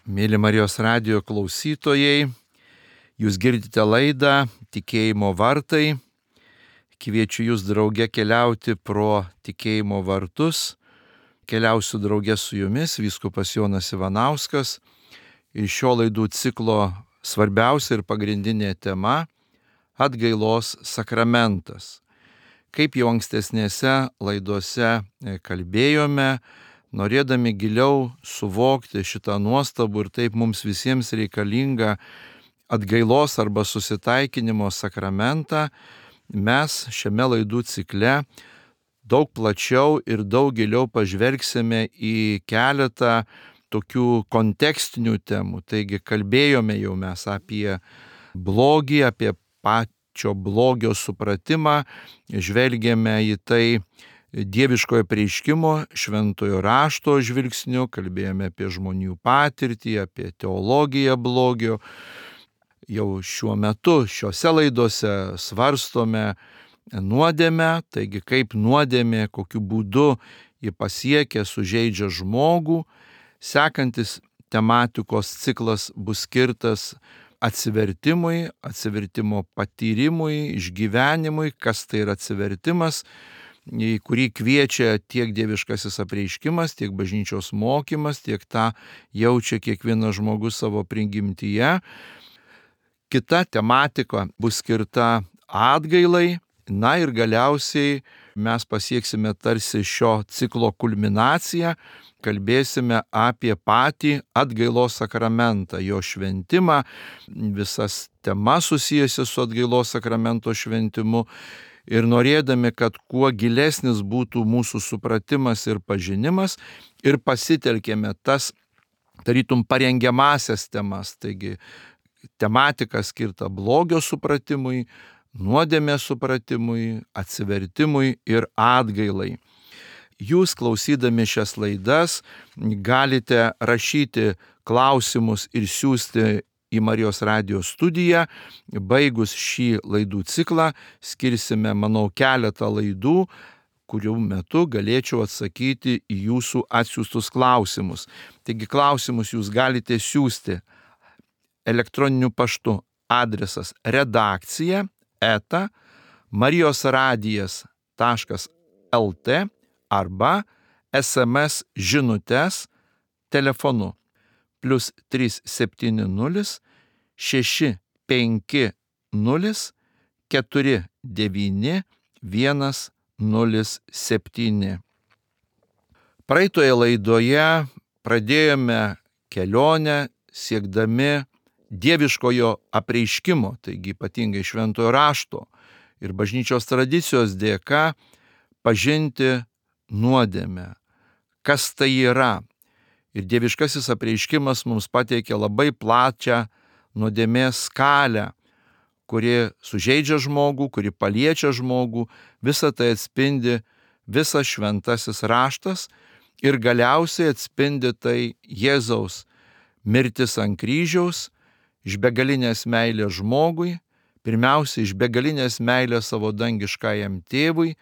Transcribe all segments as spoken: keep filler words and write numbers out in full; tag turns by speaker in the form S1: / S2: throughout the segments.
S1: Mėly Marijos radijo klausytojai, jūs girdite laidą Tikėjimo vartai. Kviečiu jūs drauge keliauti pro tikėjimo vartus. Keliausiu drauge su jumis, vyskupas Jonas Ivanauskas. Ir šio laidų ciklo svarbiausia ir pagrindinė tema - atgailos sakramentas. Kaip jau ankstesnėse laidose kalbėjome, norėdami giliau suvokti šitą nuostabų ir taip mums visiems reikalingą atgailos arba susitaikinimo sakramentą, mes šiame laidų cikle daug plačiau ir daug giliau pažvelgsime į keletą tokių kontekstinių temų. Taigi kalbėjome jau mes apie blogį, apie pačio blogio supratimą, žvelgėme į tai dieviškojo apreiškimo, šventojo rašto žvilgsniu, kalbėjome apie žmonių patirtį, apie teologiją blogio. Jau šiuo metu šiose laidose svarstome nuodėmę, taigi kaip nuodėmė, kokiu būdu ji pasiekia, sužeidžia žmogų. Sekantis tematikos ciklas bus skirtas atsivertimui, atsivertimo patyrimui, išgyvenimui, kas tai yra atsivertimas, į kurį kviečia tiek dieviškasis apreiškimas, tiek bažnyčios mokymas, tiek tą jaučia kiekvienas žmogus savo prigimtyje. Kita tematika bus skirta atgailai. Na ir galiausiai mes pasieksime tarsi šio ciklo kulminaciją, kalbėsime apie patį atgailos sakramentą, jo šventimą, visas temas susijusias su atgailos sakramento šventimu. Ir norėdami, kad kuo gilesnis būtų mūsų supratimas ir pažinimas, ir pasitelkėme tas, tarytum, parengiamasias temas, taigi tematika skirta blogio supratimui, nuodėmės supratimui, atsivertimui ir atgailai. Jūs, klausydami šias laidas, galite rašyti klausimus ir siųsti į Marijos radijo studiją. Baigus šį laidų ciklą skirsime, manau, keletą laidų, kurių metu galėčiau atsakyti į jūsų atsiųstus klausimus. Taigi klausimus jūs galite siųsti elektroniniu paštu. Adresas redakcija eta marijosradijas taškas lt arba es em es žinutes telefonu plius trys septyni nulis šeši penki nulis keturi devyni vienas nulis septyni. Praeitoje laidoje pradėjome kelionę siekdami dieviškojo apreiškimo, taigi ypatingai šventojo rašto ir bažnyčios tradicijos dėka pažinti nuodėmę. Kas tai yra? Ir dieviškasis apreiškimas mums pateikė labai plačią nuodėmės skalę, kuri sužeidžia žmogų, kuri paliečia žmogų. Visą tai atspindi visas šventasis raštas ir galiausiai atspindi tai Jėzaus mirtis ant kryžiaus, iš begalinės meilės žmogui, pirmiausia iš begalinės meilės savo dangiškajam tėvui,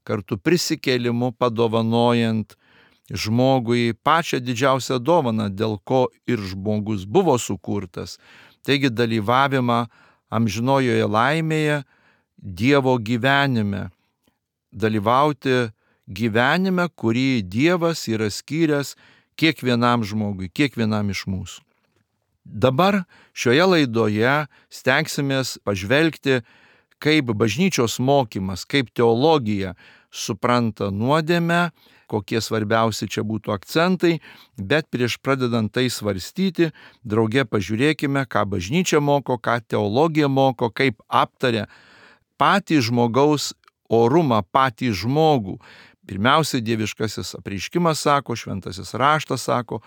S1: kartu prisikėlimu padovanojant žmogui pačią didžiausią dovaną, dėl ko ir žmogus buvo sukurtas. Taigi dalyvavimą amžinojoje laimėje, Dievo gyvenime. Dalyvauti gyvenime, kurį Dievas yra skyręs kiekvienam žmogui, kiekvienam iš mūsų. Dabar šioje laidoje stengsimės pažvelgti, kaip bažnyčios mokymas, kaip teologija supranta nuodėmę, kokie svarbiausi čia būtų akcentai, bet prieš pradedant tai svarstyti, drauge pažiūrėkime, ką bažnyčia moko, ką teologija moko, kaip aptaria patį žmogaus orumą, patį žmogų. Pirmiausia, dieviškasis apreiškimas sako, šventasis raštas sako,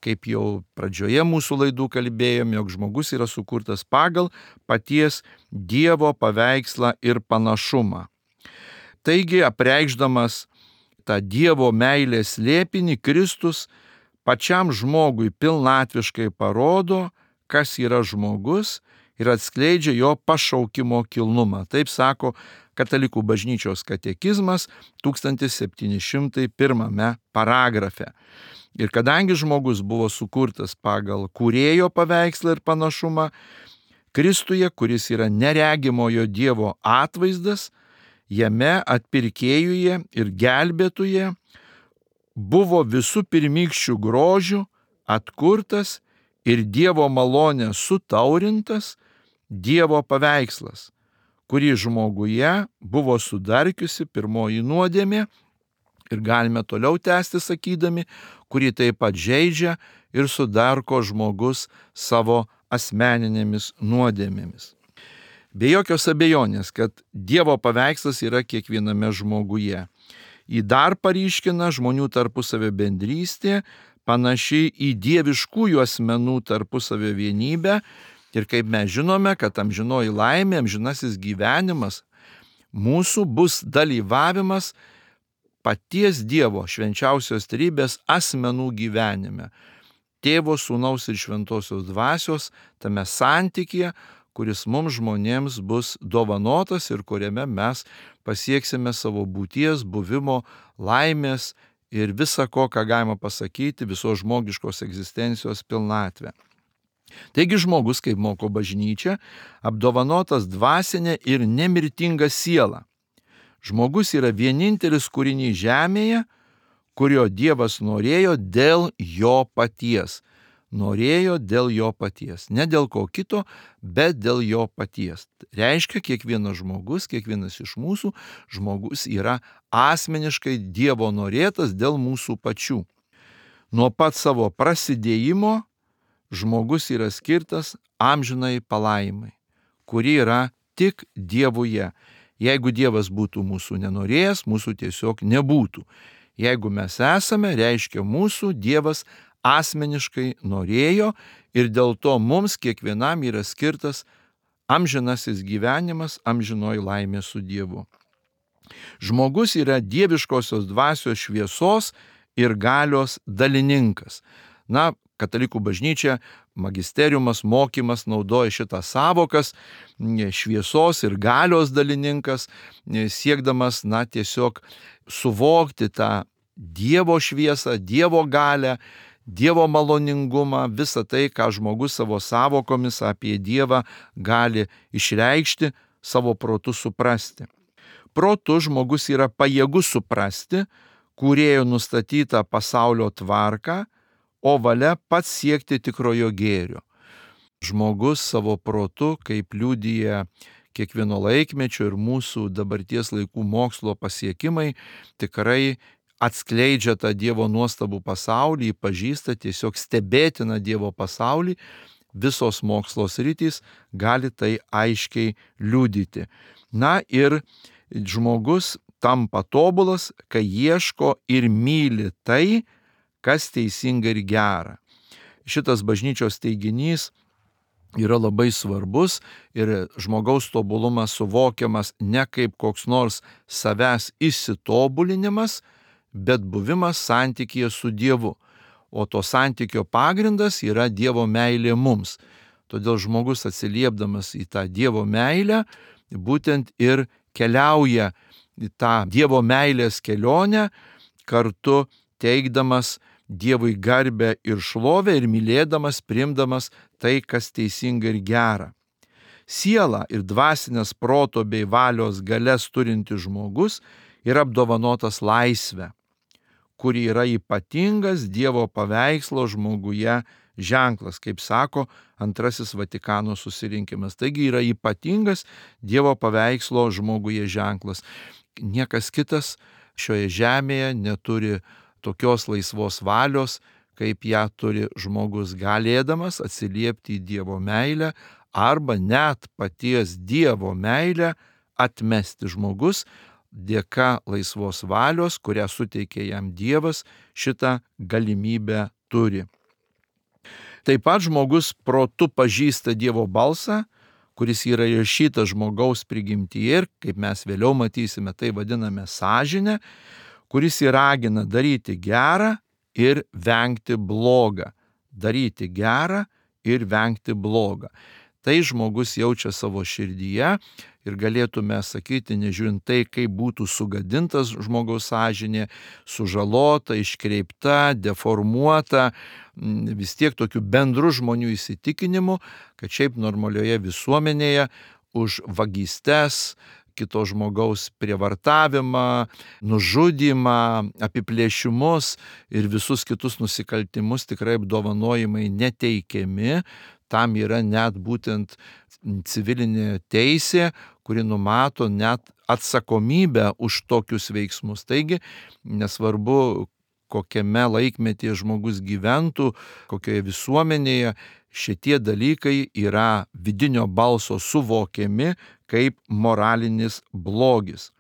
S1: kaip jau pradžioje mūsų laidų kalbėjome, jog žmogus yra sukurtas pagal paties Dievo paveikslą ir panašumą. Taigi, apreikšdamas tą Dievo meilės slėpinį, Kristus pačiam žmogui pilnatviškai parodo, kas yra žmogus ir atskleidžia jo pašaukimo kilnumą. Taip sako Katalikų bažnyčios katekizmas tūkstantis septyni šimtai pirmame paragrafe. Ir kadangi žmogus buvo sukurtas pagal kūrėjo paveikslą ir panašumą, Kristuje, kuris yra neregimojo Dievo atvaizdas, jame atpirkėjuje ir gelbėtuje buvo visų pirmykščių grožių atkurtas ir Dievo malonė sutaurintas Dievo paveikslas, kurį žmoguje buvo sudarkiusi pirmoji nuodėmė, ir galime toliau tęsti sakydami, kurį taip pat žeidžia ir sudarko žmogus savo asmeninėmis nuodėmėmis. Be jokios abejonės, kad Dievo paveikslas yra kiekviename žmoguje. Jį dar paryškina žmonių tarpusavio bendrystė, panaši į dieviškųjų asmenų tarpusavio vienybę. Ir kaip mes žinome, kad amžinoji laimė, amžinasis gyvenimas mūsų bus dalyvavimas paties Dievo švenčiausios trejybės asmenų gyvenime. Tėvo, Sūnaus ir Šventosios dvasios tame santykyje, kuris mums žmonėms bus dovanotas ir kuriame mes pasieksime savo būties, buvimo, laimės ir visa ko, ką galima pasakyti, visos žmogiškos egzistencijos pilnatvę. Taigi žmogus, kaip moko bažnyčia, apdovanotas dvasinė ir nemirtinga siela. Žmogus yra vienintelis kūrinys žemėje, kurio Dievas norėjo dėl jo paties. Norėjo dėl jo paties. Ne dėl ko kito, bet dėl jo paties. Reiškia, kiekvienas žmogus, kiekvienas iš mūsų žmogus yra asmeniškai Dievo norėtas dėl mūsų pačių. Nuo pat savo prasidėjimo žmogus yra skirtas amžinai palaimai, kuri yra tik Dievuje. Jeigu Dievas būtų mūsų nenorėjęs, mūsų tiesiog nebūtų. Jeigu mes esame, reiškia mūsų Dievas asmeniškai norėjo ir dėl to mums kiekvienam yra skirtas amžinasis gyvenimas, amžinoji laimė su Dievu. Žmogus yra dieviškosios dvasios šviesos ir galios dalininkas. Na, Katalikų bažnyčia, magisteriumas, mokymas naudoja šitas savokas, šviesos ir galios dalininkas, siekdamas, na, tiesiog suvokti tą Dievo šviesą, Dievo galią, Dievo maloningumą, visą tai, ką žmogus savo savokomis apie Dievą gali išreikšti, savo protu suprasti. Protu žmogus yra pajėgus suprasti kūrėjo nustatytą pasaulio tvarką, o valia pats siekti tikrojo gėrio. Žmogus savo protu, kaip liudija kiekvieno laikmečio ir mūsų dabarties laikų mokslo pasiekimai, tikrai atskleidžia tą Dievo nuostabų pasaulį, pažįsta tiesiog stebėtiną Dievo pasaulį, visos mokslo sritys gali tai aiškiai liudyti. Na ir žmogus tampa tobulas, kai ieško ir myli tai, kas teisinga ir gera. Šitas bažnyčios teiginys yra labai svarbus ir žmogaus tobulumas suvokiamas ne kaip koks nors savęs išsitobulinimas, bet buvimas santykyje su Dievu. O to santykio pagrindas yra Dievo meilė mums. Todėl žmogus atsiliepdamas į tą Dievo meilę, būtent ir keliauja į tą Dievo meilės kelionę, kartu teikdamas Dievui garbę ir šlovę ir mylėdamas, priimdamas tai, kas teisinga ir gera. Siela ir dvasinės proto bei valios galias turintis žmogus yra apdovanotas laisvę, kuri yra ypatingas Dievo paveikslo žmoguje ženklas, kaip sako antrasis Vatikano susirinkimas. Taigi yra ypatingas Dievo paveikslo žmoguje ženklas. Niekas kitas šioje žemėje neturi tokios laisvos valios, kaip ją turi žmogus galėdamas atsiliepti į Dievo meilę arba net paties Dievo meilę atmesti. Žmogus dėka laisvos valios, kurią suteikė jam Dievas, šitą galimybę turi. Taip pat žmogus protu pažįsta Dievo balsą, kuris yra įrašytas žmogaus prigimtyje ir, kaip mes vėliau matysime, tai vadiname sąžinę, kuris įragina daryti gerą ir vengti blogą. Daryti gerą ir vengti blogą. Tai žmogus jaučia savo širdyje ir galėtume sakyti, nežiūrint tai, kaip būtų sugadintas žmogaus sąžinė, sužalota, iškreipta, deformuota, vis tiek tokių bendrų žmonių įsitikinimu, kad šiaip normalioje visuomenėje už vagystes, kito žmogaus prievartavimą, nužudymą, apiplėšimus ir visus kitus nusikaltimus tikrai apdovanojimai neteikiami. Tam yra net būtent civilinė teisė, kuri numato net atsakomybę už tokius veiksmus. Taigi, nesvarbu, kokiame laikmetyje žmogus gyventų, kokioje visuomenėje, šitie dalykai yra vidinio balso suvokiami kaip moralinis blogis.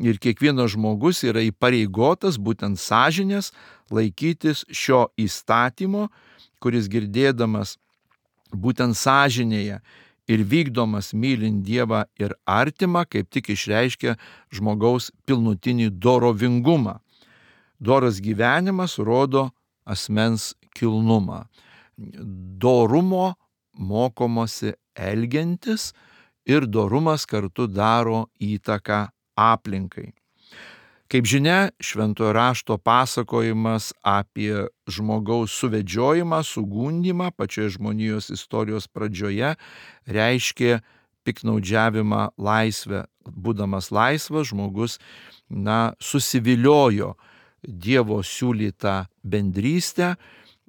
S1: Ir kiekvienas žmogus yra įpareigotas būtent sąžinės laikytis šio įstatymo, kuris girdėdamas būtent sąžinėje ir vykdomas mylint Dievą ir artimą, kaip tik išreiškia žmogaus pilnutinį dorovingumą. Doras gyvenimas rodo asmens kilnumą. Dorumo mokomosi elgiantis ir dorumas kartu daro įtaką aplinkai. Kaip žinia, šventojo rašto pasakojimas apie žmogaus suvedžiojimą, sugundymą pačioje žmonijos istorijos pradžioje reiškė piknaudžiavimą laisvę. Būdamas laisvas, žmogus na, susiviliojo Dievo siūlytą bendrystę,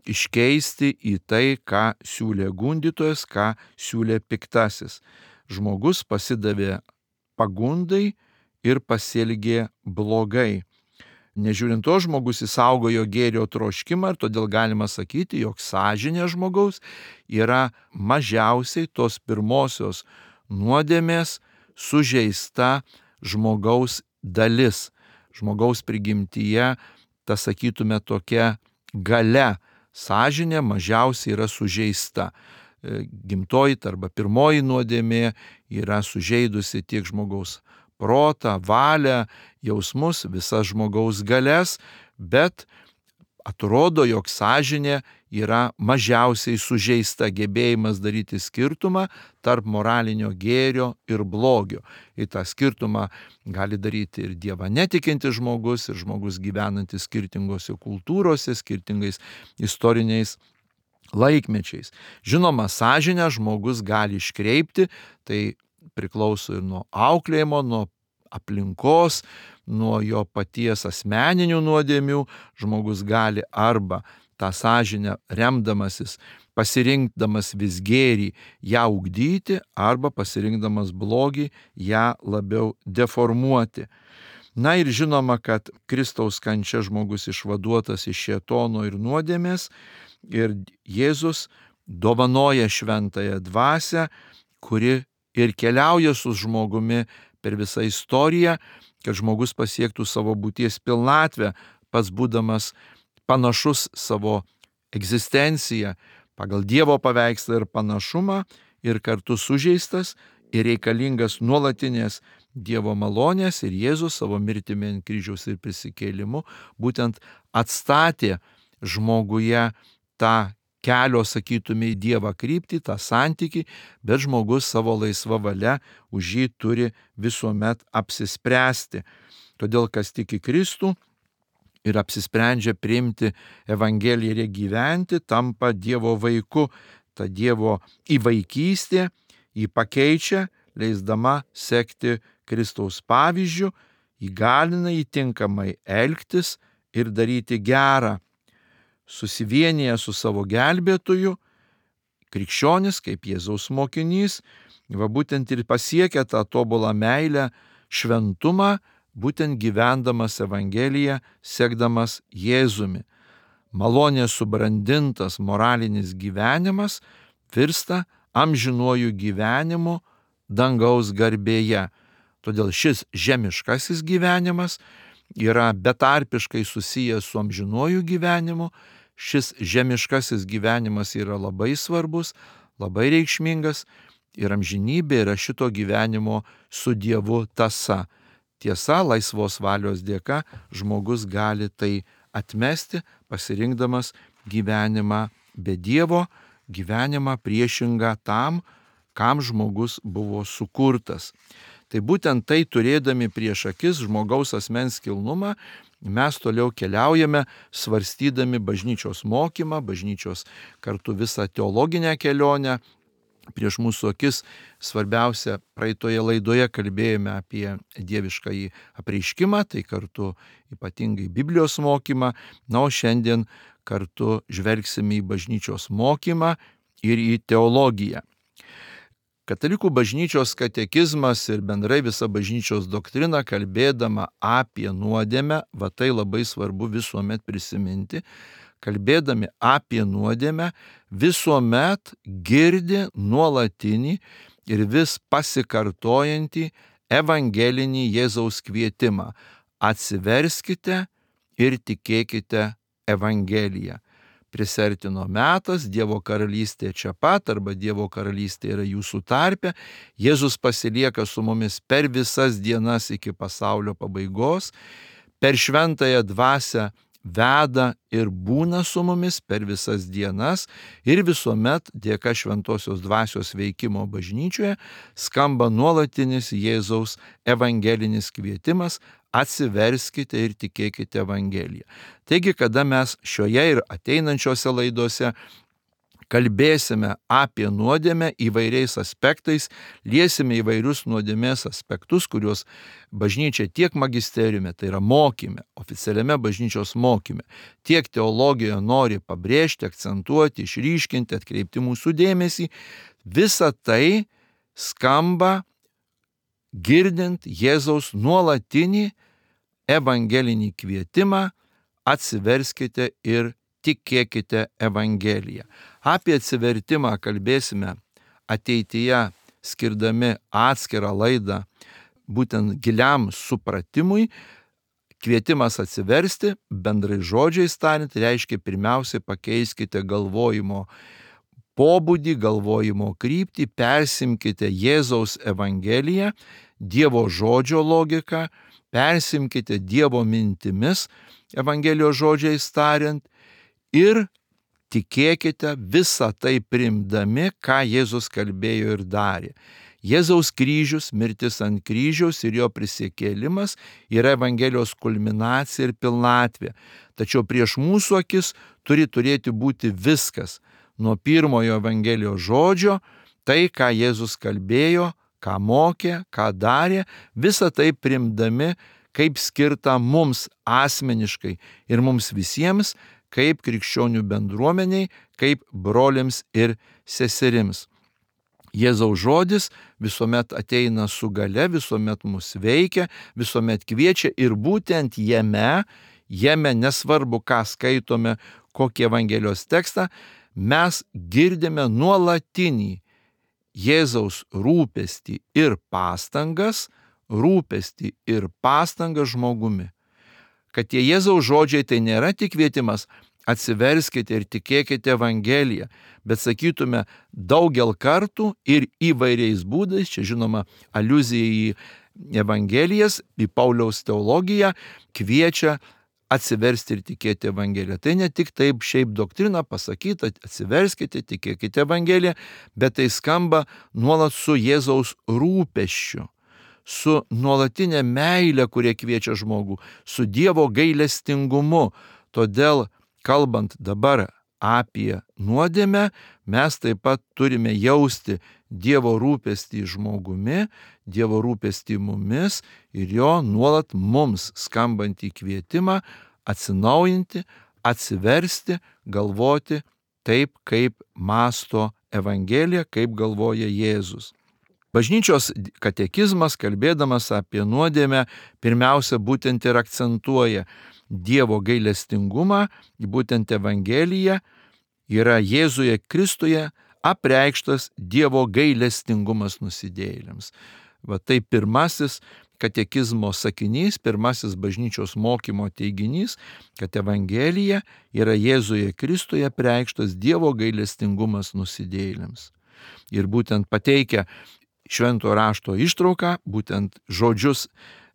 S1: iškeisti į tai, ką siūlė gundytojas, ką siūlė piktasis. Žmogus pasidavė pagundai ir pasielgė blogai. Nežiūrint to, žmogus įsaugojo gėrio troškimą ir todėl galima sakyti, jog sąžinė žmogaus yra mažiausiai tos pirmosios nuodėmės sužeista žmogaus dalis. Žmogaus prigimtyje, ta sakytume, tokia galia, sąžinė mažiausiai yra sužeista. Gimtoji arba pirmoji nuodėmė yra sužeidusi tiek žmogaus protą, valią, jausmus, visas žmogaus galias, bet atrodo, jog sąžinė yra mažiausiai sužeista, gebėjimas daryti skirtumą tarp moralinio gėrio ir blogio. Ir tą skirtumą gali daryti ir Dievą netikintis žmogus, ir žmogus gyvenantis skirtingose kultūrose, skirtingais istoriniais laikmečiais. Žinoma, sąžinę žmogus gali iškreipti, tai priklauso ir nuo auklėjimo, nuo aplinkos, nuo jo paties asmeninių nuodėmių. Žmogus gali arba tą sąžinę remdamasis, pasirinkdamas vis gėrį, ją ugdyti, arba pasirinkdamas blogį, ją labiau deformuoti. Na ir žinoma, kad Kristaus kančia žmogus išvaduotas iš šėtono ir nuodėmės ir Jėzus dovanoja šventąją dvasią, kuri ir keliauja su žmogumi per visą istoriją, kad žmogus pasiektų savo būties pilnatvę, pats būdamas panašus savo egzistenciją pagal Dievo paveikslą ir panašumą ir kartu sužeistas ir reikalingas nuolatinės Dievo malonės, ir Jėzus savo mirtimi ant kryžiaus ir prisikėlimu būtent atstatė žmoguje tą kelio, sakytume, į Dievą kryptį, tą santykį, bet žmogus savo laisva valia už jį turi visuomet apsispręsti. Todėl, kas tiki Kristų ir apsisprendžia priimti Evangeliją ir gyventi, tampa Dievo vaiku. Ta Dievo įvaikystė jį pakeičia, leisdama sekti Kristaus pavyzdžiu, įgalina jį tinkamai elgtis ir daryti gerą. Susivienyje su savo gelbėtoju, krikščionis, kaip Jėzaus mokinys, va būtent ir pasiekia tą tobulą meilę, šventumą, būtent gyvendamas Evangeliją, sekdamas Jėzumi. Malonės subrandintas moralinis gyvenimas virsta amžinuoju gyvenimu dangaus garbėje. Todėl šis žemiškasis gyvenimas yra betarpiškai susijęs su amžinuoju gyvenimu. Šis žemiškasis gyvenimas yra labai svarbus, labai reikšmingas ir amžinybė yra šito gyvenimo su Dievu tąsa. Tiesa, laisvos valios dėka žmogus gali tai atmesti, pasirinkdamas gyvenimą be Dievo, gyvenimą priešingą tam, kam žmogus buvo sukurtas. Tai būtent tai turėdami prieš akis žmogaus asmens kilnumą, mes toliau keliaujame, svarstydami bažnyčios mokymą, bažnyčios kartu visą teologinę kelionę. Prieš mūsų akis svarbiausia, praeitoje laidoje kalbėjome apie dieviškąjį apreiškimą, tai kartu ypatingai Biblijos mokymą, na, o šiandien kartu žvelgsime į bažnyčios mokymą ir į teologiją. Katalikų bažnyčios katekizmas ir bendrai visa bažnyčios doktrina, kalbėdama apie nuodėmę, va tai labai svarbu visuomet prisiminti, kalbėdami apie nuodėmę, visuomet girdi nuolatinį ir vis pasikartojantį evangelinį Jėzaus kvietimą. Atsiverskite ir tikėkite Evangeliją. Prisertino metas, Dievo karalystė čia pat, arba Dievo karalystė yra jūsų tarpe. Jėzus pasilieka su mumis per visas dienas iki pasaulio pabaigos, per šventąją dvasią veda ir būna su mumis per visas dienas ir visuomet dėka šventosios dvasios veikimo bažnyčioje skamba nuolatinis Jėzaus evangelinis kvietimas: atsiverskite ir tikėkite Evangeliją. Taigi, kada mes šioje ir ateinančiose laidose kalbėsime apie nuodėmę įvairiais aspektais, liesime įvairius nuodėmės aspektus, kuriuos bažnyčia tiek magisteriume, tai yra mokyme, oficialiame bažnyčios mokyme, tiek teologijoje nori pabrėžti, akcentuoti, išryškinti, atkreipti mūsų dėmesį, visa tai skamba girdint Jėzaus nuolatinį evangelinį kvietimą: atsiverskite ir tikėkite Evangeliją. Apie atsivertimą kalbėsime ateityje, skirdami atskirą laidą būtent giliam supratimui. Kvietimas atsiversti, bendrai žodžiais tariant, reiškia pirmiausiai pakeiskite galvojimo pobūdį, galvojimo kryptį, persimkite Jėzaus Evangeliją, Dievo žodžio logiką, persimkite Dievo mintimis, Evangelijos žodžiais tariant, ir tikėkite visą tai priimdami, ką Jėzus kalbėjo ir darė. Jėzaus kryžius, mirtis ant kryžiaus ir jo prisikėlimas yra Evangelijos kulminacija ir pilnatvė. Tačiau prieš mūsų akis turi turėti būti viskas. Nuo pirmojo Evangelijos žodžio, tai, ką Jėzus kalbėjo, ką mokė, ką darė, visą tai priimdami kaip skirta mums asmeniškai ir mums visiems, kaip krikščionių bendruomeniai, kaip broliams ir seserims. Jėzaus žodis visuomet ateina su gale, visuomet mus veikia, visuomet kviečia ir būtent jame, jame nesvarbu, ką skaitome, kokį Evangelijos tekstą, mes girdime nuolatinį Jėzaus rūpestį ir pastangas, rūpestį ir pastangas žmogumi. Kad tie Jėzaus žodžiai tai nėra tik kvietimas: atsiverskite ir tikėkite Evangeliją, bet sakytume daugel kartų ir įvairiais būdais, čia žinoma aliuzija į Evangelijas, į Pauliaus teologiją, kviečia atsiversti ir tikėti Evangeliją. Tai ne tik taip šiaip doktrina pasakyta: atsiverskite, tikėkite Evangeliją, bet tai skamba nuolat su Jėzaus rūpesčiu, su nuolatinė meilė, kurie kviečia žmogų, su Dievo gailestingumu. Todėl, kalbant dabar apie nuodėmę, mes taip pat turime jausti Dievo rūpestį žmogumi, Dievo rūpestį mumis ir jo nuolat mums skambantį kvietimą atsinaujinti, atsiversti, galvoti taip, kaip mąsto Evangelija, kaip galvoja Jėzus. Bažnyčios katekizmas, kalbėdamas apie nuodėmę, pirmiausia būtent ir akcentuoja Dievo gailestingumą, būtent Evangelija yra Jėzuje Kristuje apreikštas Dievo gailestingumas nusidėjėliams. Va tai pirmasis katekizmo sakinys, pirmasis bažnyčios mokymo teiginys, kad Evangelija yra Jėzuje Kristuje apreikštas Dievo gailestingumas nusidėjėliams. Ir būtent pateikia švento rašto ištrauką, būtent žodžius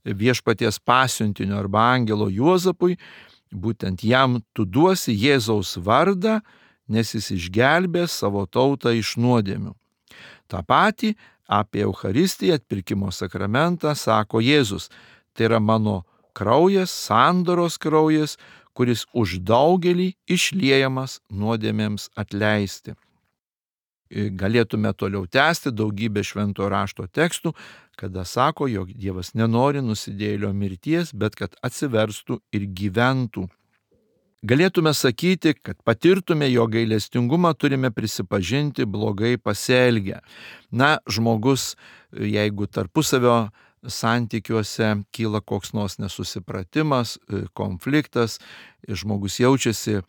S1: viešpaties pasiuntinio arba angelo Juozapui, būtent jam tu duosi Jėzaus vardą, nes jis išgelbės savo tautą iš nuodėmių. Ta pati apie Eucharistiją, atpirkimo sakramentą, sako Jėzus. Tai yra mano kraujas, sandoros kraujas, kuris už daugelį išliejamas nuodėmėms atleisti. Galėtume toliau tęsti daugybę šventojo rašto tekstų, kada sako, jog Dievas nenori nusidėjėlio mirties, bet kad atsiverstų ir gyventų. Galėtume sakyti, kad patirtume jo gailestingumą, turime prisipažinti blogai pasielgę. Na, žmogus, jeigu tarpusavio santykiuose kyla koks nors nesusipratimas, konfliktas, žmogus jaučiasi,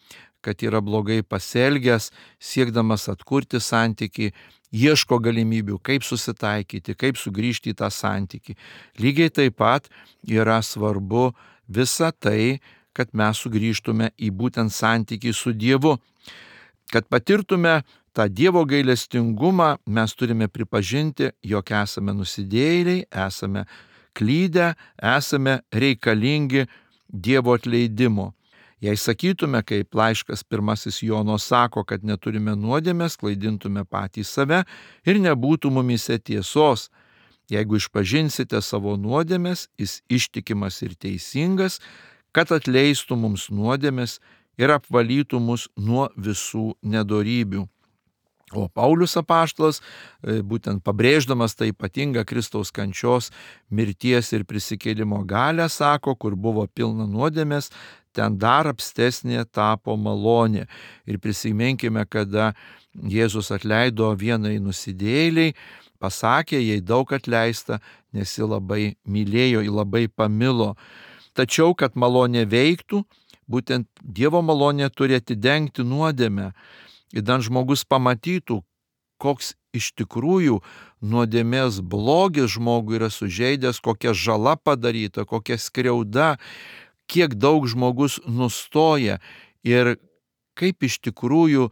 S1: kad yra blogai pasielgęs, siekdamas atkurti santykį, ieško galimybių, kaip susitaikyti, kaip sugrįžti į tą santykį. Lygiai taip pat yra svarbu visa tai, kad mes sugrįžtume į būtent santykį su Dievu. Kad patirtume tą Dievo gailestingumą, mes turime pripažinti, jog esame nusidėjėliai, esame klydę, esame reikalingi Dievo atleidimo. Jei sakytume, kaip laiškas pirmasis Jono sako, kad neturime nuodėmės, klaidintume patys save ir nebūtų mumise tiesos. Jeigu išpažinsite savo nuodėmės, jis ištikimas ir teisingas, kad atleistų mums nuodėmės ir apvalytų mus nuo visų nedorybių. O Paulius apaštalas, būtent pabrėždamas tą ypatingą Kristaus kančios, mirties ir prisikėlimo galią, sako, kur buvo pilna nuodėmės, ten dar apstesnė tapo malonė. Ir prisiminkime, kada Jėzus atleido vienai nusidėjėliai, pasakė, jai daug atleista, nes ji labai mylėjo, ji labai pamilo. Tačiau, kad malonė veiktų, būtent Dievo malonė turi atidengti nuodėmę. Ir dan žmogus pamatytų, koks iš tikrųjų nuodėmės blogis žmogui yra sužeidęs, kokia žala padaryta, kokia skriauda, kiek daug žmogus nustoja ir kaip iš tikrųjų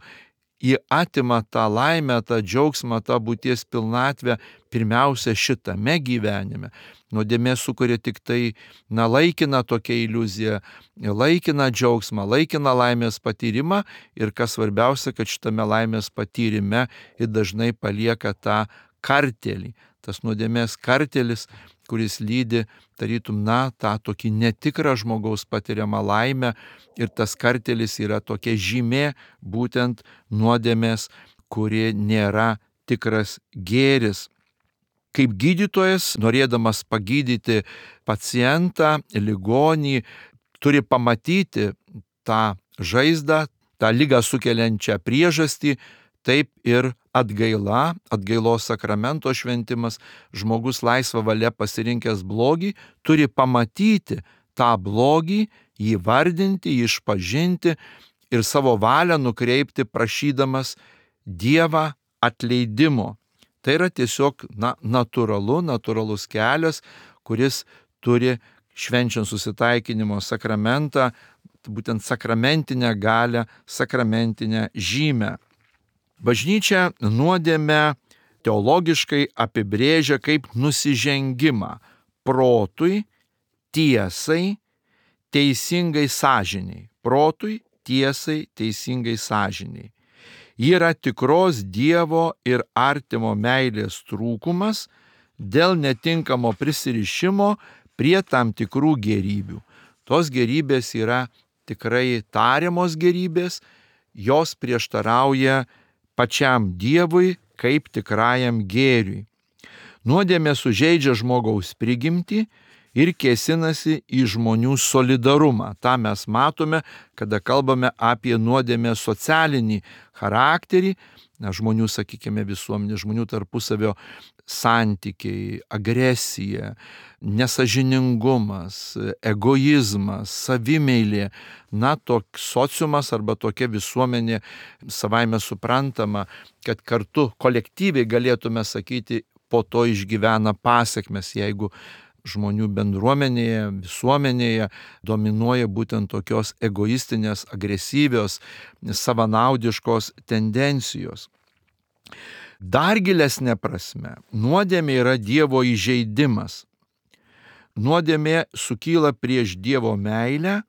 S1: jį atima tą laimę, tą džiaugsmą, tą būties pilnatvę pirmiausia šitame gyvenime. Nuodėmė sukuria tik tai na, laikiną tokią iliuziją, laikiną džiaugsmą, laikiną laimės patyrimą ir kas svarbiausia, kad šitame laimės patyrime ir dažnai palieka tą kartelį. Tas nuodėmės kartelis, kuris lydi, tarytum, na, tą tokį netikrą žmogaus patiriamą laimę ir tas kartelis yra tokia žymė būtent nuodėmės, kuri nėra tikras gėris. Kaip gydytojas, norėdamas pagydyti pacientą, ligonį, turi pamatyti tą žaizdą, tą ligą sukeliančią priežastį, taip ir atgaila, atgailos sakramento šventimas, žmogus laisva valia pasirinkęs blogį, turi pamatyti tą blogį, jį vardinti, jį išpažinti ir savo valią nukreipti prašydamas Dievą atleidimo. Tai yra tiesiog na, natūralu, natūralus kelias, kuris turi švenčiant susitaikinimo sakramentą, būtent sakramentinę galią, sakramentinę žymę. Bažnyčia nuodėmę teologiškai apibrėžia kaip nusižengimą protui, tiesai, teisingai sąžiniai. Protui, tiesai, teisingai sąžiniai. Ji yra tikros Dievo ir artimo meilės trūkumas dėl netinkamo prisirišimo prie tam tikrų gėrybių. Tos gėrybės yra tikrai tariamos gėrybės, jos prieštarauja pačiam Dievui kaip tikrajam gėriui. Nuodėmė sužeidžia žmogaus prigimtį ir kėsinasi į žmonių solidarumą. Ta mes matome, kada kalbame apie nuodėmę socialinį charakterį, na, žmonių, sakykime, visuomenė, žmonių tarpusavio santykiai, agresija, nesažiningumas, egoizmas, savimeilė, na, toks sociumas arba tokia visuomenė savaime suprantama, kad kartu kolektyviai galėtume sakyti, po to išgyvena pasekmes, jeigu žmonių bendruomenėje, visuomenėje dominuoja būtent tokios egoistinės, agresyvios, savanaudiškos tendencijos. Dar gilesnė prasme, nuodėmė yra Dievo įžeidimas. Nuodėmė sukyla prieš Dievo meilę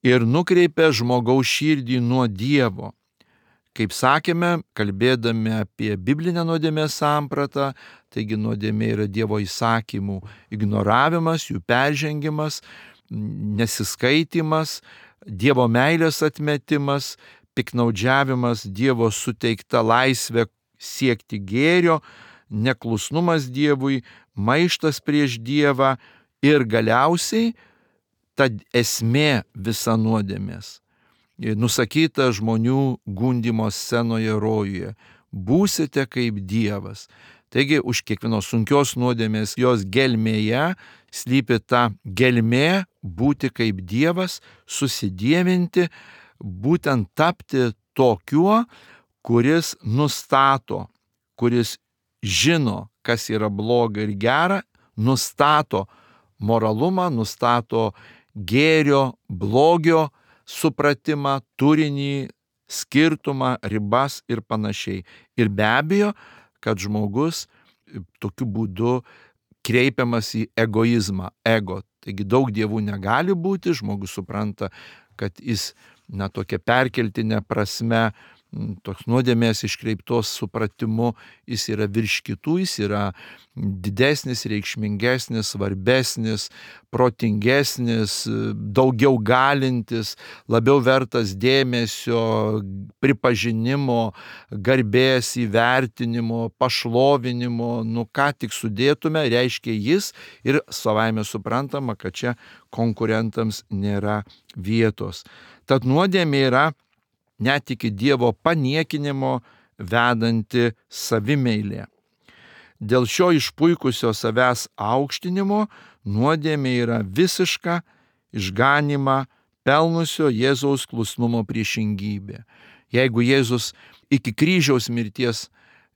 S1: ir nukreipia žmogaus širdį nuo Dievo. Kaip sakėme, kalbėdami apie biblinę nuodėmės sampratą, taigi nuodėmė yra Dievo įsakymų ignoravimas, jų peržengimas, nesiskaitimas, Dievo meilės atmetimas, piknaudžiavimas Dievo suteikta laisvė siekti gėrio, neklusnumas Dievui, maištas prieš Dievą ir galiausiai ta esmė visa nuodėmės. Nusakyta žmonių gundymo scenoje rojuje. Būsite kaip Dievas. Taigi už kiekvienos sunkios nuodėmės jos gelmėje slypi ta gelmė būti kaip Dievas, susidievinti, būtent tapti tokiu, kuris nustato, kuris žino, kas yra bloga ir gera, nustato moralumą, nustato gėrio, blogio supratimą, turinį, skirtumą, ribas ir panašiai. Ir be abejo, kad žmogus tokiu būdu kreipiamas į egoizmą, ego. Taigi daug dievų negali būti, žmogus supranta, kad jis, na, tokia perkeltinė prasme, toks nuodėmės iškreiptos supratimu, jis yra virš kitų, jis yra didesnis, reikšmingesnis, svarbesnis, protingesnis, daugiau galintis, labiau vertas dėmesio, pripažinimo, garbės, įvertinimo, pašlovinimo, nu ką tik sudėtume, reiškia jis ir savaime suprantama, kad čia konkurentams nėra vietos. Tad nuodėmė yra net iki Dievo paniekinimo vedanti savimeilė. Dėl šio išpuikusio savęs aukštinimo nuodėmė yra visiška išganymą pelnusio Jėzaus klusnumo priešingybė. Jeigu Jėzus iki kryžiaus mirties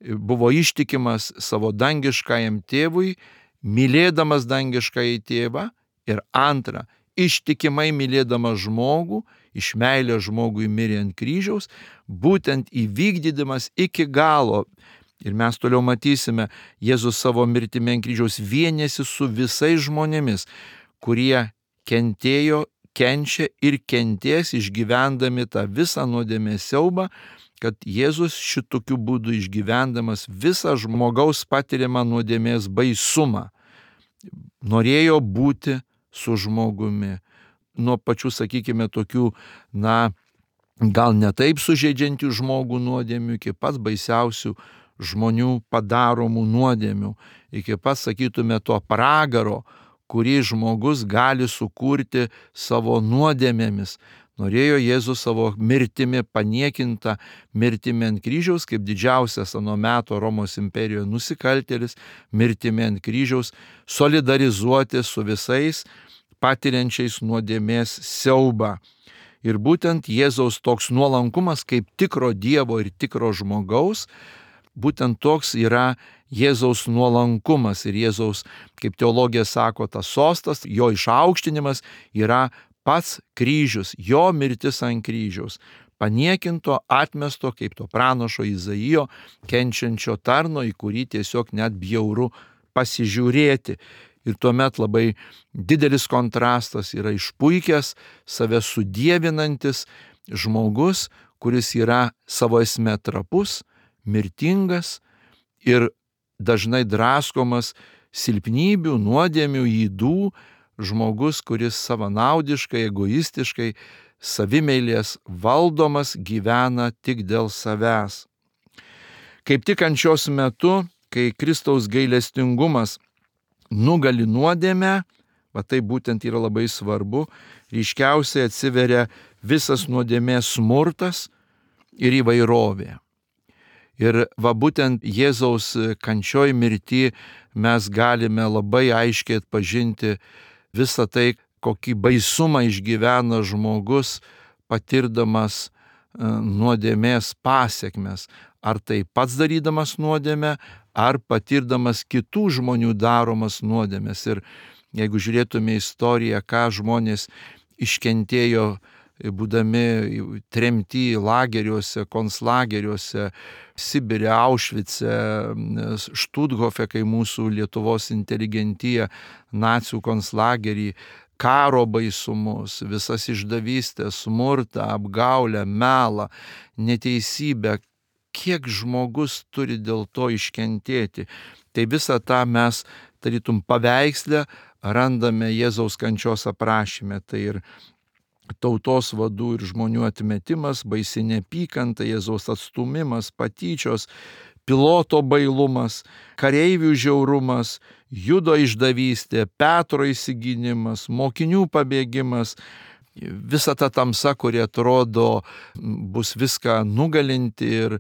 S1: buvo ištikimas savo dangiškajam tėvui, mylėdamas dangiškąjį tėvą, ir antra, ištikimai mylėdamas žmogų, iš meilės žmogui mirė ant kryžiaus, būtent įvykdydamas iki galo. Ir mes toliau matysime, Jėzus savo mirtimi ant kryžiaus vienėsi su visais žmonėmis, kurie kentėjo, kenčia ir kentės išgyvendami tą visą nuodėmės siaubą, kad Jėzus šitokiu būdu išgyvendamas visą žmogaus patiriamą nuodėmės baisumą norėjo būti su žmogumi. Nuo pačių, sakykime, tokių, na, gal ne taip sužeidžiančių žmogų nuodėmių, iki pats baisiausių žmonių padaromų nuodėmių, iki pats, sakytume, to pragaro, kurį žmogus gali sukurti savo nuodėmėmis. Norėjo Jėzus savo mirtimi, paniekinta mirtimi ant kryžiaus, kaip didžiausias ano meto Romos imperijoje nusikaltėlis, mirtimi ant kryžiaus, solidarizuoti su visais patiriančiais nuodėmės siaubą. Ir būtent Jėzaus toks nuolankumas kaip tikro Dievo ir tikro žmogaus, būtent toks yra Jėzaus nuolankumas. Ir Jėzaus, kaip teologija sako, tas sostas, jo išaukštinimas yra pats kryžius, jo mirtis ant kryžiaus. Paniekinto, atmesto, kaip to pranašo Izaijo, kenčiančio tarno, į kurį tiesiog net bjauru pasižiūrėti. Ir tuomet labai didelis kontrastas yra išpuikęs, save sudievinantis žmogus, kuris yra savo esme trapus, mirtingas ir dažnai draskomas silpnybių, nuodėmių, ydų, žmogus, kuris savanaudiškai, egoistiškai, savimeilės valdomas gyvena tik dėl savęs. Kaip tik kančios metu, kai Kristaus gailestingumas nugali nuodėmę, va tai būtent yra labai svarbu, ryškiausiai atsiveria visas nuodėmės smurtas ir įvairovė. Ir va būtent Jėzaus kančioj mirty mes galime labai aiškiai atpažinti visą tai, kokį baisumą išgyvena žmogus, patirdamas nuodėmės pasekmes. Ar tai pats darydamas nuodėmę, ar patirdamas kitų žmonių daromas nuodėmės. Ir jeigu žiūrėtume istoriją, ką žmonės iškentėjo, būdami tremti lageriuose, konclageriuose, Sibire, Aušvice, Štuthofe, kai mūsų Lietuvos inteligentija nacių konclagerį karo baisumus, visas išdavystės, smurtą, apgaulę, melą, neteisybę, kiek žmogus turi dėl to iškentėti. Tai visą tą mes tarytum paveiksle randame Jėzaus kančios aprašyme. Tai ir tautos vadų ir žmonių atmetimas, baisi neapykanta, Jėzaus atstumimas, patyčios, Piloto bailumas, kareivių žiaurumas, Judo išdavystė, Petro įsigynimas, mokinių pabėgimas, visa ta tamsa, kuri atrodo bus viską nugalinti. Ir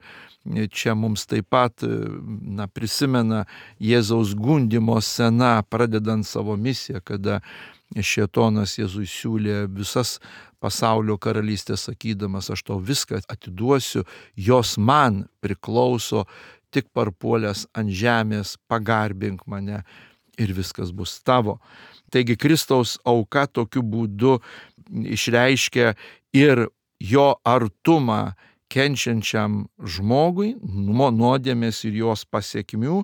S1: čia mums taip pat na, prisimena Jėzaus gundymo scena, pradedant savo misiją, kada Šėtonas Jėzui siūlė visas pasaulio karalystės, sakydamas, aš tau viską atiduosiu, jos man priklauso, tik parpuolęs ant žemės pagarbink mane ir viskas bus tavo. Taigi Kristaus auka tokiu būdu išreiškia ir jo artumą kenčiančiam žmogui, nuo nuodėmės ir jos pasiekmių,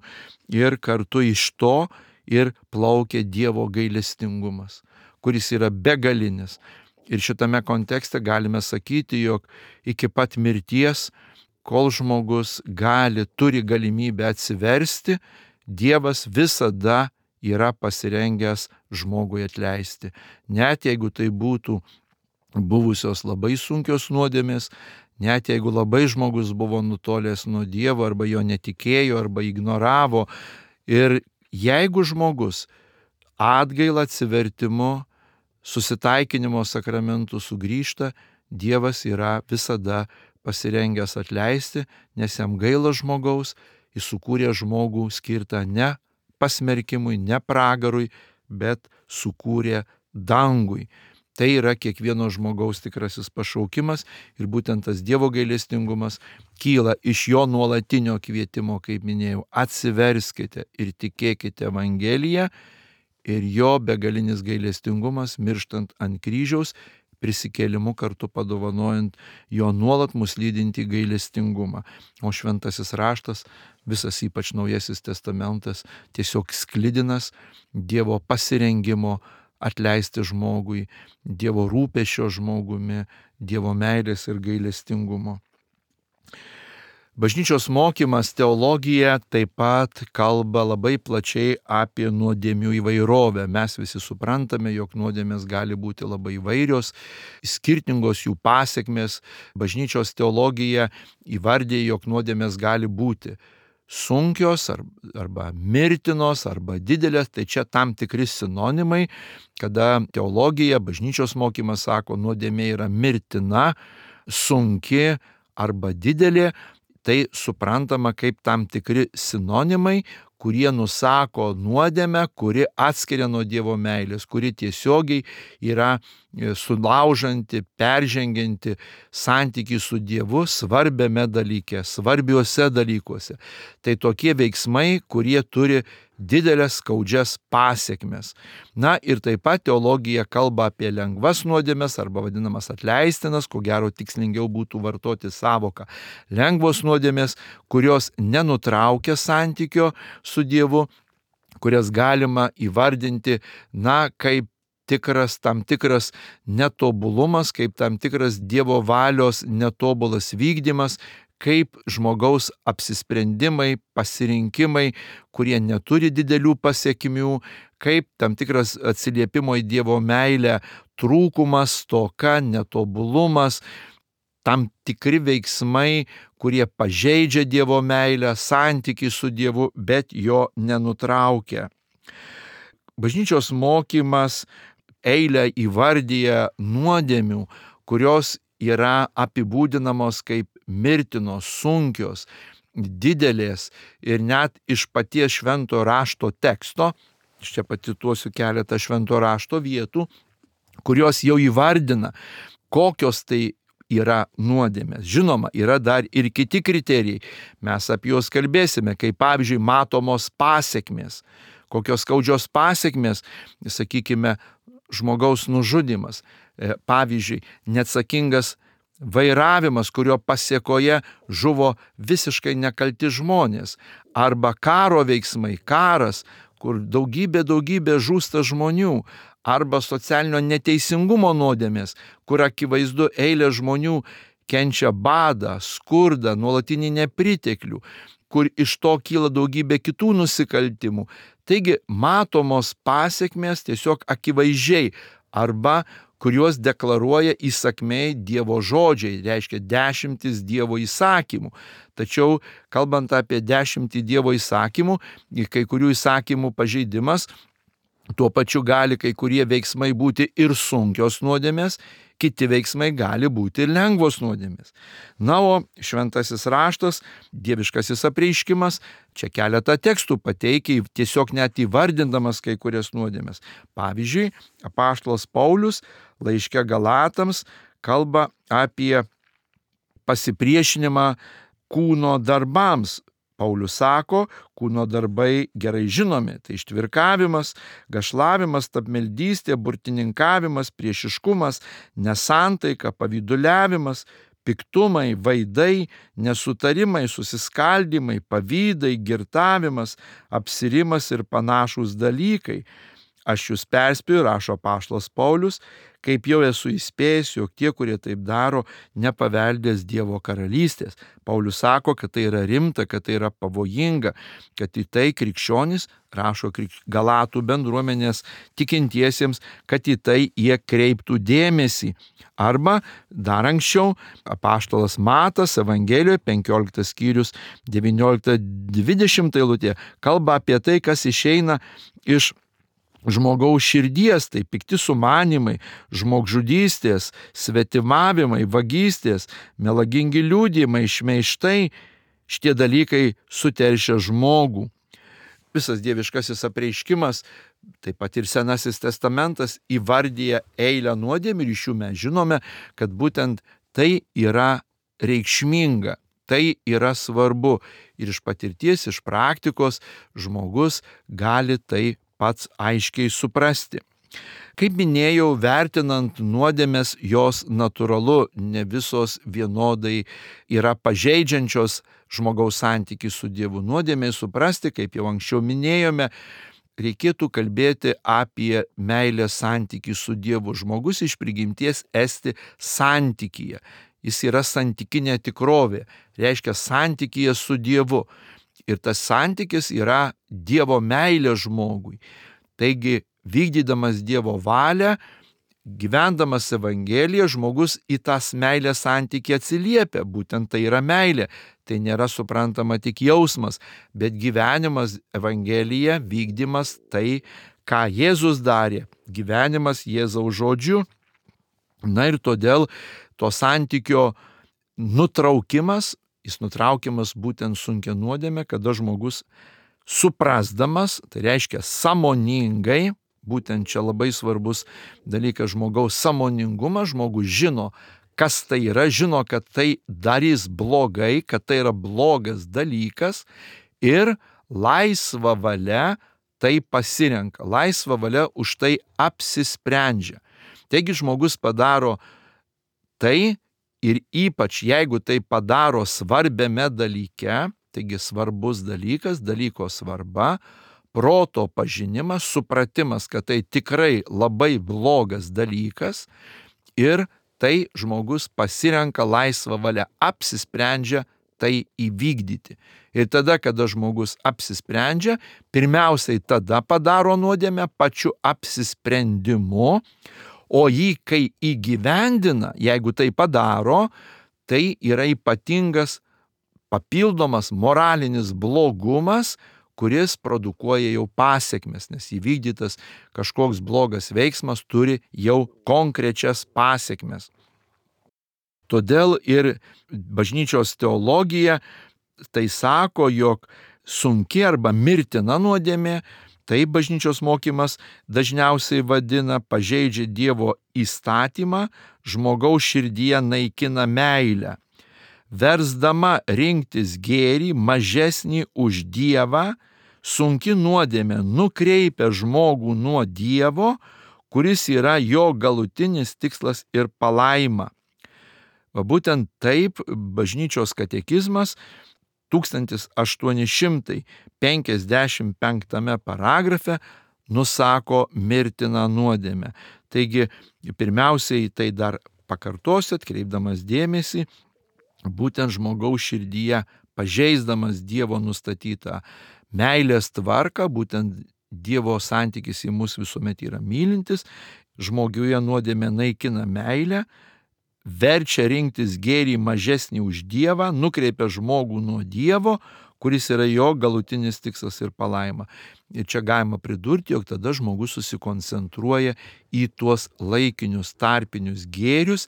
S1: ir kartu iš to ir plaukia Dievo gailestingumas, kuris yra begalinis. Ir šitame kontekste galime sakyti, jog iki pat mirties, kol žmogus gali, turi galimybę atsiversti, Dievas visada yra pasirengęs žmogui atleisti. Net jeigu tai būtų buvusios labai sunkios nuodėmės, net jeigu labai žmogus buvo nutolęs nuo Dievo, arba jo netikėjo, arba ignoravo. Ir jeigu žmogus atgailą, atsivertimu, susitaikinimo sakramentų sugrįžta, Dievas yra visada pasirengęs atleisti, nes jam gaila žmogaus, jis sukūrė žmogų skirtą ne pasmerkimui, ne pragarui, bet sukūrė dangui. Tai yra kiekvieno žmogaus tikrasis pašaukimas ir būtent tas Dievo gailestingumas kyla iš jo nuolatinio kvietimo, kaip minėjau, atsiverskite ir tikėkite Evangeliją, ir jo begalinis gailestingumas mirštant ant kryžiaus, prisikėlimu kartu padovanojant jo nuolat mus lydinti gailestingumą. O šventasis raštas, visas ypač Naujasis testamentas, tiesiog sklidinas Dievo pasirengimo atleisti žmogui, Dievo rūpesčio žmogumi, Dievo meilės ir gailestingumo. Bažnyčios mokymas, teologija taip pat kalba labai plačiai apie nuodėmių įvairovę. Mes visi suprantame, jog nuodėmės gali būti labai įvairios, skirtingos jų pasekmės. Bažnyčios teologija įvardė, jog nuodėmės gali būti sunkios arba mirtinos arba didelės. Tai čia tam tikri sinonimai, kada teologija, bažnyčios mokymas sako, nuodėmė yra mirtina, sunki arba didelė. Tai suprantama kaip tam tikri sinonimai, kurie nusako nuodėmę, kuri atskiria nuo Dievo meilės, kuri tiesiogiai yra sulaužanti, peržengianti santykį su Dievu svarbiame dalyke, svarbiuose dalykuose. Tai tokie veiksmai, kurie turi didelės skaudžias pasekmes. Na ir taip pat teologija kalba apie lengvas nuodėmes arba vadinamas atleistinas, ko gero tikslingiau būtų vartoti savoką lengvos nuodėmės, kurios nenutraukia santykio su Dievu, kurias galima įvardinti, na, kaip tikras, tam tikras netobulumas, kaip tam tikras Dievo valios netobulas vykdymas, kaip žmogaus apsisprendimai, pasirinkimai, kurie neturi didelių pasiekmių, kaip tam tikras atsiliepimo į Dievo meilę trūkumas, stoka, netobulumas, tam tikri veiksmai, kurie pažeidžia Dievo meilę, santykį su Dievu, bet jo nenutraukia. Bažnyčios mokymas eilę įvardyja nuodėmių, kurios yra apibūdinamos kaip mirtinos, sunkios, didelės ir net iš paties švento rašto teksto, aš čia pacituosiu keletą švento rašto vietų, kurios jau įvardina, kokios tai yra nuodėmės. Žinoma, yra dar ir kiti kriterijai, mes apie juos kalbėsime, kaip pavyzdžiui matomos pasekmės, kokios skaudžios pasekmės, sakykime, žmogaus nužudymas, pavyzdžiui, neatsakingas vairavimas, kurio pasėkoje žuvo visiškai nekalti žmonės, arba karo veiksmai, karas, kur daugybė, daugybė žūsta žmonių, arba socialinio neteisingumo nuodėmės, kur akivaizdu eilė žmonių kenčia badą, skurdą, nuolatinį nepriteklių, kur iš to kyla daugybė kitų nusikaltimų. Taigi matomos pasiekmės tiesiog akivaizdžiai, arba kuriuos deklaruoja įsakmiai Dievo žodžiai, reiškia dešimtis Dievo įsakymų. Tačiau, kalbant apie dešimtį Dievo įsakymų, kai kurių įsakymų pažeidimas, tuo pačiu gali kai kurie veiksmai būti ir sunkios nuodėmės, kiti veiksmai gali būti ir lengvos nuodėmės. Na, o šventasis raštas, dieviškasis apreiškimas, čia keletą tekstų pateikia, tiesiog net įvardindamas kai kurias nuodėmės. Pavyzdžiui, apaštalas Paulius laiške Galatams kalba apie pasipriešinimą kūno darbams. Paulius sako, kūno darbai gerai žinomi, tai ištvirkavimas, gašlavimas, tapmeldystė, burtininkavimas, priešiškumas, nesantaika, pavyduliavimas, piktumai, vaidai, nesutarimai, susiskaldimai, pavydai, girtavimas, apsirimas ir panašūs dalykai. Aš jūs perspėju, rašo apaštalas Paulius, kaip jau esu įspėjęs, jog tie, kurie taip daro, nepaveldės Dievo karalystės. Paulius sako, kad tai yra rimta, kad tai yra pavojinga, kad į tai krikščionys, rašo Galatų bendruomenės tikintiesiems, kad į tai jie kreiptų dėmesį. Arba dar anksčiau apaštalas Matas Evangelijoje penkioliktas skyrius devyniolikta dvidešimta eilutė kalba apie tai, kas išeina iš žmogaus širdies, tai pikti sumanimai, žmogžudystės, svetimavimai, vagystės, melagingi liudijimai, šmeižtai, šitie dalykai suteršia žmogų. Visas dieviškasis apreiškimas, taip pat ir Senasis testamentas įvardyja eilę nuodėmių ir iš jų mes žinome, kad būtent tai yra reikšminga. Tai yra svarbu ir iš patirties, iš praktikos žmogus gali tai pats aiškiai suprasti. Kaip minėjau, vertinant nuodėmes, jos natūralu ne visos vienodai yra pažeidžiančios žmogaus santykį su Dievu. Nuodėmei suprasti, kaip jau anksčiau minėjome, reikėtų kalbėti apie meilės santykį su Dievu. Žmogus iš prigimties esti santykyje. Jis yra santykinė tikrovė, reiškia santykyje su Dievu. Ir tas santykis yra Dievo meilė žmogui. Taigi, vykdydamas Dievo valią, gyvendamas Evangeliją, žmogus į tas meilės santykį atsiliepia. Būtent tai yra meilė. Tai nėra suprantama tik jausmas, bet gyvenimas Evangelija, vykdymas tai, ką Jėzus darė. Gyvenimas Jėzaus žodžiu. Na ir todėl to santykio nutraukimas, jis nutraukiamas būtent sunkia nuodėmė, kada žmogus suprasdamas, tai reiškia sąmoningai, būtent čia labai svarbus dalykas žmogaus sąmoningumas, žmogus žino, kas tai yra, žino, kad tai darys blogai, kad tai yra blogas dalykas ir laisva valia tai pasirenka, laisva valia už tai apsisprendžia. Taigi žmogus padaro tai ir ypač jeigu tai padaro svarbiame dalyke, taigi svarbus dalykas, dalyko svarba, proto pažinimas, supratimas, kad tai tikrai labai blogas dalykas ir tai žmogus pasirenka laisvą valią, apsisprendžia tai įvykdyti. Ir tada, kada žmogus apsisprendžia, pirmiausiai tada padaro nuodėmę pačiu apsisprendimu, o jį, kai įgyvendina, jeigu tai padaro, tai yra ypatingas papildomas moralinis blogumas, kuris produkuoja jau pasiekmes, nes įvykdytas kažkoks blogas veiksmas turi jau konkrečias pasiekmes. Todėl ir bažnyčios teologija tai sako, jog sunki arba mirtina nuodėmė, tai bažnyčios mokymas dažniausiai vadina pažeidžia Dievo įstatymą, žmogaus širdyje naikina meilę, versdama rinktis gėrį mažesnį už Dievą, sunki nuodėmė nukreipia žmogų nuo Dievo, kuris yra jo galutinis tikslas ir palaima. Va būtent taip bažnyčios katekizmas tūkstantis aštuoni šimtai penkiasdešimt penktame paragrafe nusako mirtiną nuodėmę. Taigi, pirmiausiai tai dar pakartosiu, atkreipdamas dėmesį, būtent žmogaus širdyje, pažeisdamas Dievo nustatytą meilės tvarką, būtent Dievo santykis į mus visuomet yra mylintis, žmoguje nuodėmė naikina meilę, verčia rinktis gėrį mažesnį už Dievą, nukreipia žmogų nuo Dievo, kuris yra jo galutinis tikslas ir palaima. Ir čia galima pridurti, jog tada žmogus susikoncentruoja į tuos laikinius tarpinius gėrius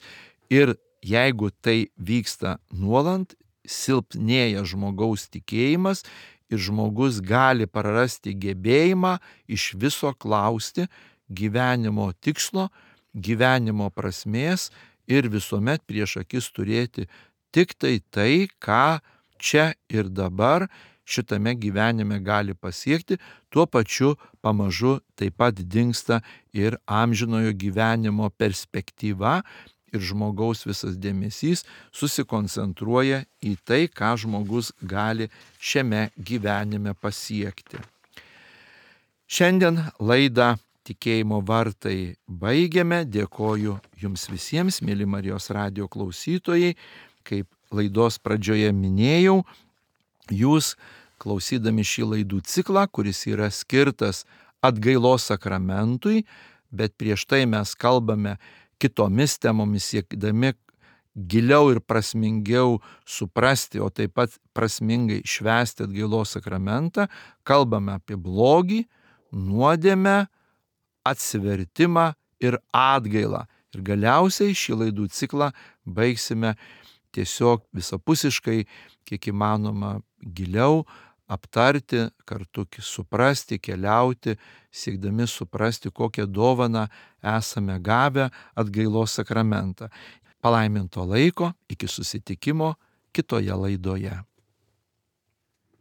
S1: ir jeigu tai vyksta nuolant, silpnėja žmogaus tikėjimas ir žmogus gali prarasti gebėjimą iš viso klausti gyvenimo tikslo, gyvenimo prasmės ir visuomet prieš akis turėti tik tai tai, ką čia ir dabar šitame gyvenime gali pasiekti, tuo pačiu pamažu taip pat dingsta ir amžinojo gyvenimo perspektyva ir žmogaus visas dėmesys susikoncentruoja į tai, ką žmogus gali šiame gyvenime pasiekti. Šiandien laidą Tikėjimo vartai baigiame. Dėkoju jums visiems, mėly Marijos radijo klausytojai. Kaip laidos pradžioje minėjau, jūs klausydami šį laidų ciklą, kuris yra skirtas atgailos sakramentui, bet prieš tai mes kalbame kitomis temomis, siekdami giliau ir prasmingiau suprasti, o taip pat prasmingai švęsti atgailos sakramentą, kalbame apie blogį, nuodėmę, atsivertimą ir atgailą. Ir galiausiai šį laidų ciklą baigsime tiesiog visapusiškai, kiek įmanoma giliau aptarti, kartu suprasti, keliauti, siekdami suprasti, kokią dovaną esame gavę atgailos sakramentą. Palaiminto laiko, iki susitikimo kitoje laidoje.